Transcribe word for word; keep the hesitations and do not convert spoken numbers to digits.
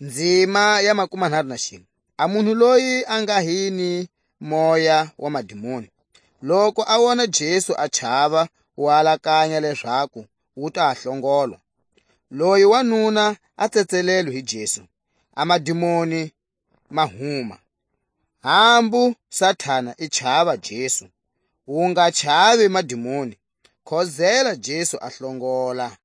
Nzima ya makumanharhu na xinwe. A munhu loyi a nga hi ni moya wa madimoni, loko a wona Jesu a chava, wa alakanya lezaku wu ta hlongolwa. Loyi wanuna a tsetselelwe hi Jesu, a madimoni ma huma. Hambu Satana i chava Jesu, wu nga chavi madimoni, khozela Jesu a hlongola.